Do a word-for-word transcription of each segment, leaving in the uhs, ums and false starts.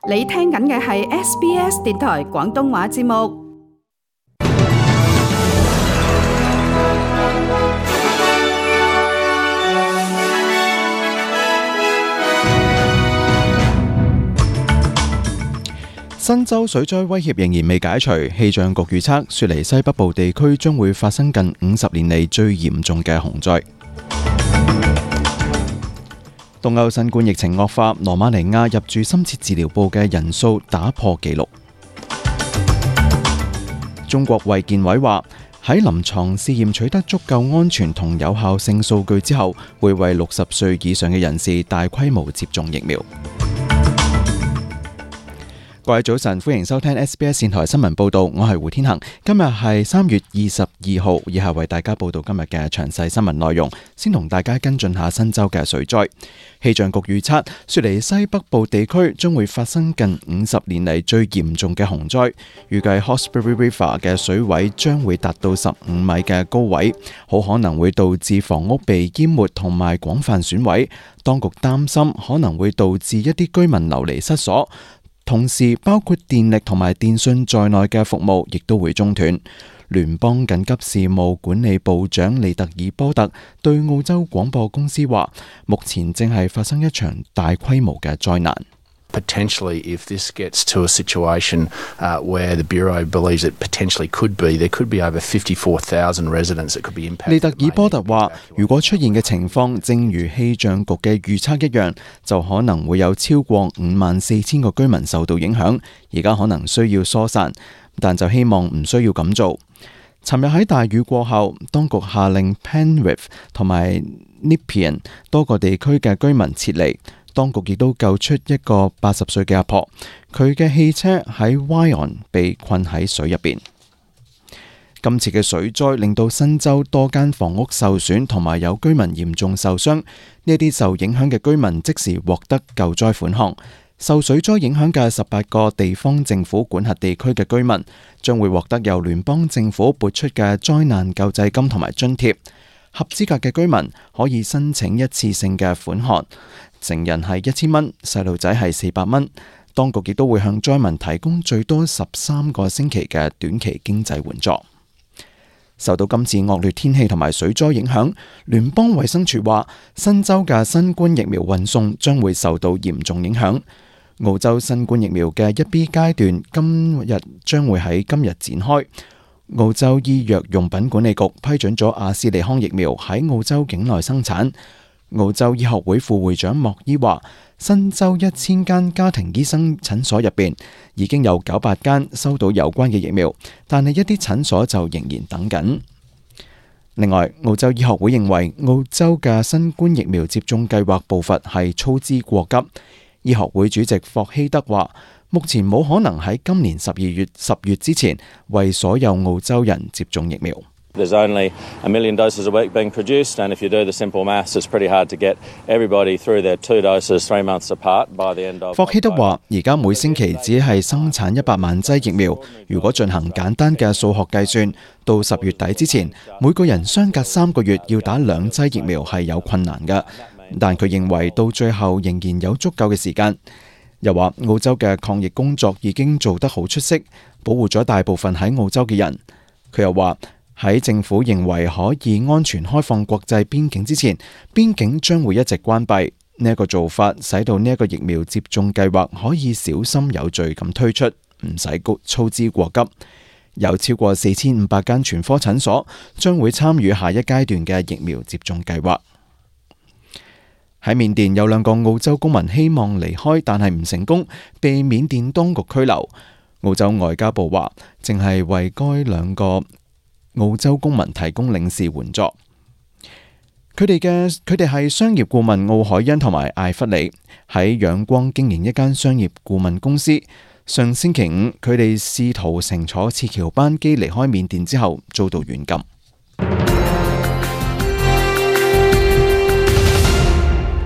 你聽緊嘅係 S B S 電台廣東話節目。新州水災威脅仍然未解除，氣象局預測雪梨西北部地區將會發生近五十年嚟最嚴重嘅洪災。東歐新冠疫情惡化，羅馬尼亞入住深切治療部嘅人數打破紀錄。中國衛健委話喺臨床試驗取得足夠安全同有效性數據之後，會為六十歲以上嘅人士大規模接種疫苗。各位早晨，歡迎收聽 S B S 電台新聞報道，我係胡天恒。今日係三月二十二號，以下為大家報道今日嘅詳細新聞內容。先同大家跟進下新州嘅水災。氣象局預測，雪梨西北部地區將會發生近五十年嚟最嚴重嘅洪災，預計 Hawkesbury River 嘅水位將會達到十五米嘅高位，好可能會導致房屋被淹沒同埋廣泛損毀。當局擔心可能會導致一啲居民流離失所。同時，包括電力同埋電訊在內嘅服務亦都會中斷。聯邦緊急事務管理部長利特爾波特對澳洲廣播公司話，目前正係發生一場大規模嘅災難。Potentially, if this gets to a situation uh, where the Bureau believes it potentially could be, there could be over fifty-four thousand residents that could be impacted. 利特爾波特話，如果出現嘅情況正如氣象局嘅預測一樣，就可能會有超過五萬四千個居民受到影響，而家可能需要疏散，但就希望唔需要咁做。尋日喺大雨過後，當局下令 Penrith 同埋 Nepean 多個地區嘅居民撤離。當局亦都救出一個八十歲嘅阿婆，佢嘅汽車喺 Wyong 被困喺水入邊。今次嘅水災令到新州多間房屋受損，同埋有居民嚴重受傷。呢啲受影響嘅居民即時獲得救災款項。受水災影響嘅十八個地方政府管轄地區嘅居民將會獲得由聯邦政府撥出嘅災難救濟金同埋津貼。合資格嘅居民可以申請一次性嘅款項。成人係一千蚊，細路仔係四百蚊。當局亦都會向災民提供最多十三個星期嘅短期經濟援助。受到今次惡劣天氣同埋水災影響，聯邦衛生署話新州嘅新冠疫苗運送將會受到嚴重影響。澳洲新冠疫苗嘅一 B 階段今日將會喺今日展開。澳洲醫藥用品管理局批准咗阿斯利康疫苗喺澳洲境內生產。澳洲醫學會副會長莫伊話，新州一千間家庭醫生診所入邊已經有九百間收到有關嘅疫苗，但係一啲診所就仍然等緊。另外，澳洲醫學會認為澳洲嘅新冠疫苗接種計劃步伐係操之過急。醫學會主席霍希德話，目前冇可能喺今年十二月十月之前為所有澳洲人接種疫苗。There's only a million doses a week being produced, and if you do the simple maths, it's pretty hard to get everybody through their two doses three months apart by the end of. 霍希德話：而家每星期只係生產一百萬劑疫苗，如果進行簡單嘅數學計算，到十月底之前，每個人相隔三個月要打兩劑疫苗係有困難嘅。但佢認為到最後仍然有足夠嘅時間。又話澳洲嘅抗疫工作已經做得好出色，保護咗大部分喺澳洲嘅人。佢又話，喺政府認為可以安全開放國際邊境之前，邊境將會一直關閉。呢一個做法使到呢一個疫苗接種計劃可以小心有序咁推出，唔使操之過急。有超過四千五百間全科診所將會參與下一階段嘅疫苗接種計劃。喺緬甸有兩個澳洲公民希望離開，但係唔成功，被緬甸當局拘留。澳洲外交部話，正係為該兩個澳洲公民提供領事援助。佢哋嘅佢哋係商業顧問奧海恩同埋艾弗里，喺仰光經營一間商業顧問公司。上星期五，佢哋試圖乘坐撤僑班機離開緬甸之後，遭到軟禁。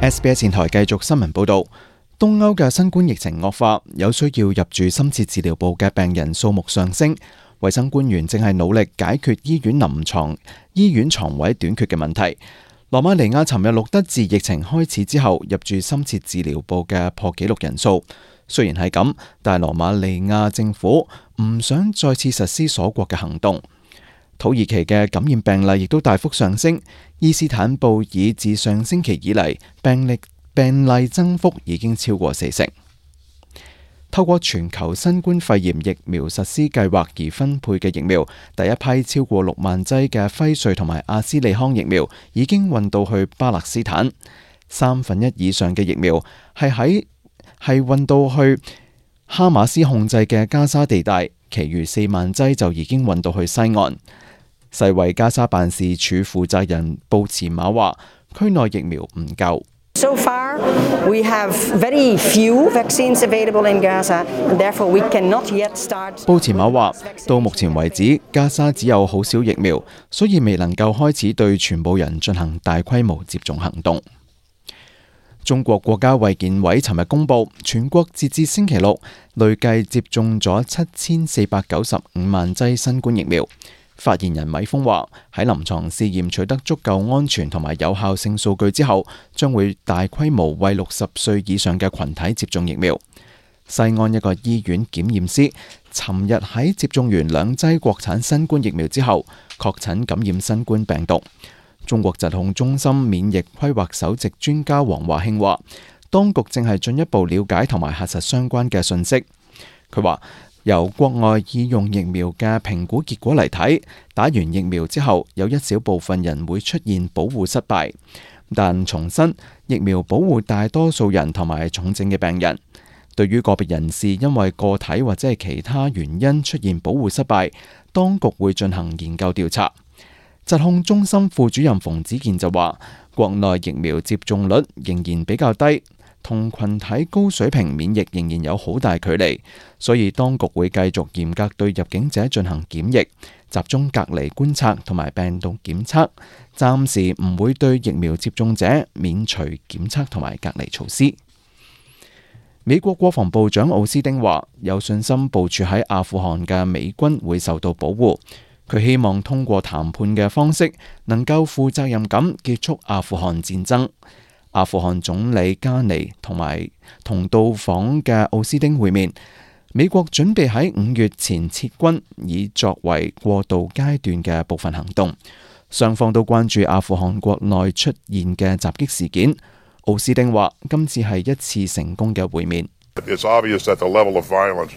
S B S 電台繼續新聞報道，東歐嘅新冠疫情惡化，有需要入住深切治療部嘅病人數目上升。衛生官員正係努力解決醫院臨床醫院床位短缺嘅問題。羅馬尼亞尋日錄得自疫情開始之後入住深切治療部嘅破紀錄人數。雖然係咁，但係羅馬尼亞政府唔想再次實施鎖國嘅行動。土耳其嘅感染病例亦都大幅上升，伊斯坦布爾自上星期以嚟病例病例增幅已經超過四成。透過全球新冠肺炎疫苗實施計劃而分配嘅疫苗，第一批超過六萬劑嘅輝瑞同埋阿斯利康疫苗已經運到去巴勒斯坦，三分一以上嘅疫苗係喺係運到去哈馬斯控制嘅加沙地帶，其餘四萬劑就已經運到去西岸。世衛加沙辦事處負責人布茨馬話：區內疫苗唔夠。So far, we have very few vaccines available in Gaza, and therefore we cannot yet start. 布茨馬話：到目前為止，加沙只有好少疫苗，所以未能夠開始對全部人進行大規模接種行動。中國國家衛健委尋日公布，全國截至星期六累計接種咗七千四百九十五萬劑新冠疫苗。發言人米峰話：喺臨床試驗取得足夠安全同埋有效性數據之後，將會大規模為六十歲以上嘅群體接種疫苗。西安一個醫院檢驗師尋日喺接種完兩劑國產新冠疫苗之後，確診感染新冠病毒。中國疾控中心免疫規劃首席專家王華慶話：當局正係進一步了解同埋核實相關嘅信息。佢話：由國外已用疫苗嘅評估結果嚟睇，打完疫苗之後，有一小部分人會出現保護失敗。但重申，疫苗保護大多數人同埋重症嘅病人。對於個別人士因為個體或者係其他原因出現保護失敗，當局會進行研究調查。疾控中心副主任馮子健就話：國內疫苗接種率仍然比較低，同群體高水平免疫仍然有好大距離，所以當局會繼續嚴格對入境者進行檢疫、集中隔離觀察同埋病毒檢測，暫時唔會對疫苗接種者免除檢測同埋隔離措施。美國國防部長奧斯汀話：有信心部署喺阿富汗嘅美軍會受到保護。佢希望通過談判嘅方式，能夠負責任咁結束阿富汗戰爭。阿富汗總理加尼同埋同到訪嘅奧斯汀會面。美國準備喺五月前撤軍，以作為過渡階段嘅部分行動。雙方都關注阿富汗國內出現嘅襲擊事件。奧斯汀話：今次係一次成功嘅會面。It's obvious that the level of violence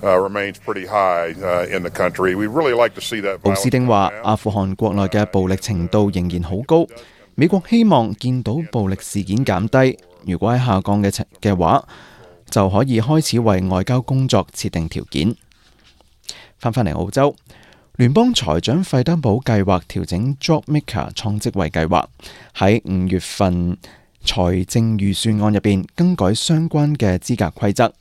remains pretty high in the country. We really like to see that. 奧斯汀話：阿富汗國內嘅暴力程度仍然好高。美國希望見到暴力事件減低，如果喺下降嘅情嘅話，就可以開始為外交工作設定條件。翻返嚟澳洲，聯邦財長費德堡計劃調整 JobMaker 創職位計劃，喺五月份財政預算案入邊更改相關嘅資格規則。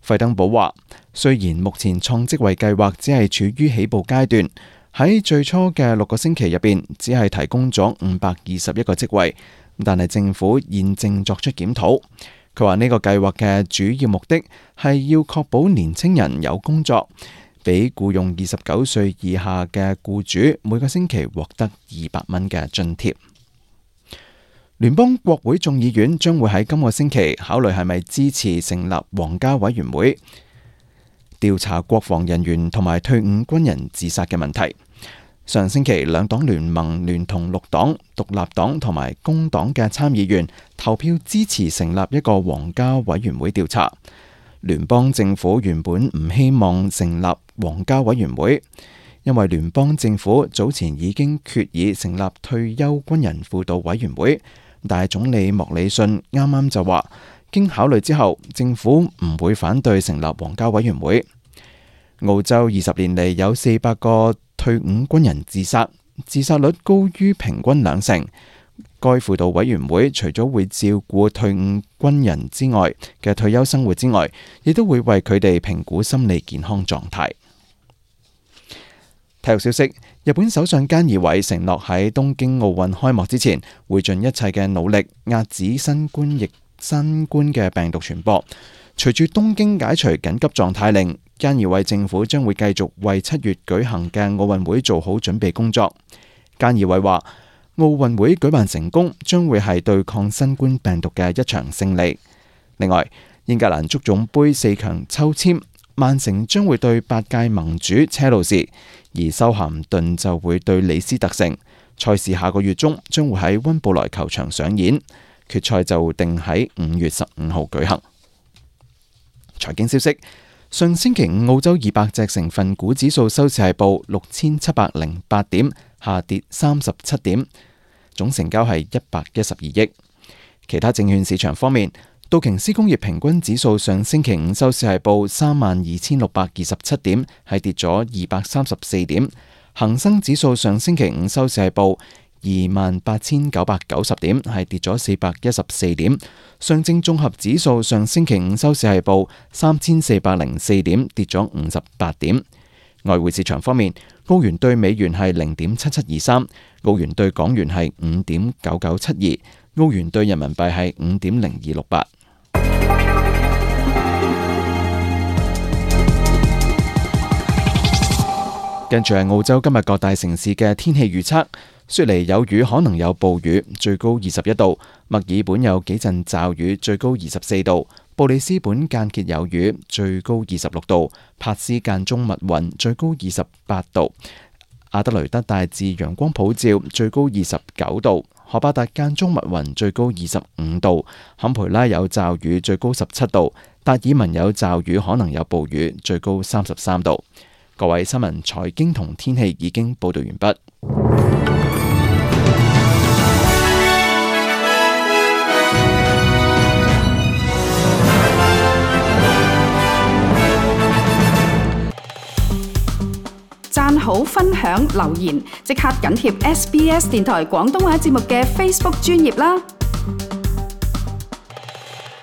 費德堡話：雖然目前創職位計劃只係處於起步階段，喺最初嘅六個星期入邊，只係提供咗五百二十一個職位，但係政府現正作出檢討。佢話呢個計劃嘅主要目的係要確保年輕人有工作，俾僱用二十九歲以下嘅僱主每個星期獲得二百蚊嘅津貼。聯邦國會眾議院將會喺今個星期考慮係咪支持成立皇家委員會，調查國防人員同埋退伍軍人自殺嘅問題。上星期兩黨聯盟聯同綠黨、獨立黨同埋工黨嘅參議員投票支持成立一個皇家委員會調查。聯邦政府原本唔希望成立皇家委員會，因為聯邦政府早前已經決議成立退休軍人輔導委員會，但係總理莫里遜啱啱就話，經考慮之後，政府唔會反對成立皇家委員會。澳洲二十年嚟有四百個退伍軍人自殺，自殺率高於平均兩成。該輔導委員會除咗會照顧退伍軍人之外嘅退休生活之外，亦都會為佢哋評估心理健康狀態。體育消息：日本首相菅義偉承諾喺東京奧運開幕之前，會盡一切嘅努力遏止新冠疫新冠嘅病毒傳播。隨住東京解除緊急狀態令，菅義偉政府將會繼續為七月舉行嘅奧運會做好準備工作。菅義偉話：奧運會舉辦成功，將會係對抗新冠病毒嘅一場勝利。另外，英格蘭足總盃四強抽籤，曼城將會對八屆盟主車路士，而修咸頓就會對李斯特城。賽事下個月中將會喺溫布萊球場上演，決賽就定喺五月十五號舉行。財經消息，上星期五澳洲二百隻成分股指數收市係報六千七百零八點，下跌三十七點，總成交係一百一十二億。其他證券市場方面，道瓊斯工業平均指數上星期五收市係報三萬二千六百二十七點，係跌咗二百三十四點。恒生指數上星期五收市係報二萬八千九百九十點，係跌咗四百一十四點。上證綜合指數上星期五收市係報三千四百零四點，跌咗五十八點。外匯市場方面，澳元對美元係零點七七二三，澳元對港元係五點九九七二，澳元對人民幣係五點零二六八。跟住係澳洲今日各大城市嘅天氣預測：雪梨有雨，可能有暴雨，最高二十一度；墨爾本有幾陣驟雨，最高二十四度；布里斯本間歇有雨，最高二十六度；珀斯間中密雲，最高二十八度；阿德雷德大致陽光普照，最高二十九度；荷巴達間中密雲，最高二十五度；坎培拉有驟雨，最高十七度；達爾文有驟雨，可能有暴雨，最高三十三度。各位新聞、財經同天氣已經報道完畢。讚好、分享、留言，即刻緊貼 S B S 電台廣東話節目嘅 Facebook 專頁啦！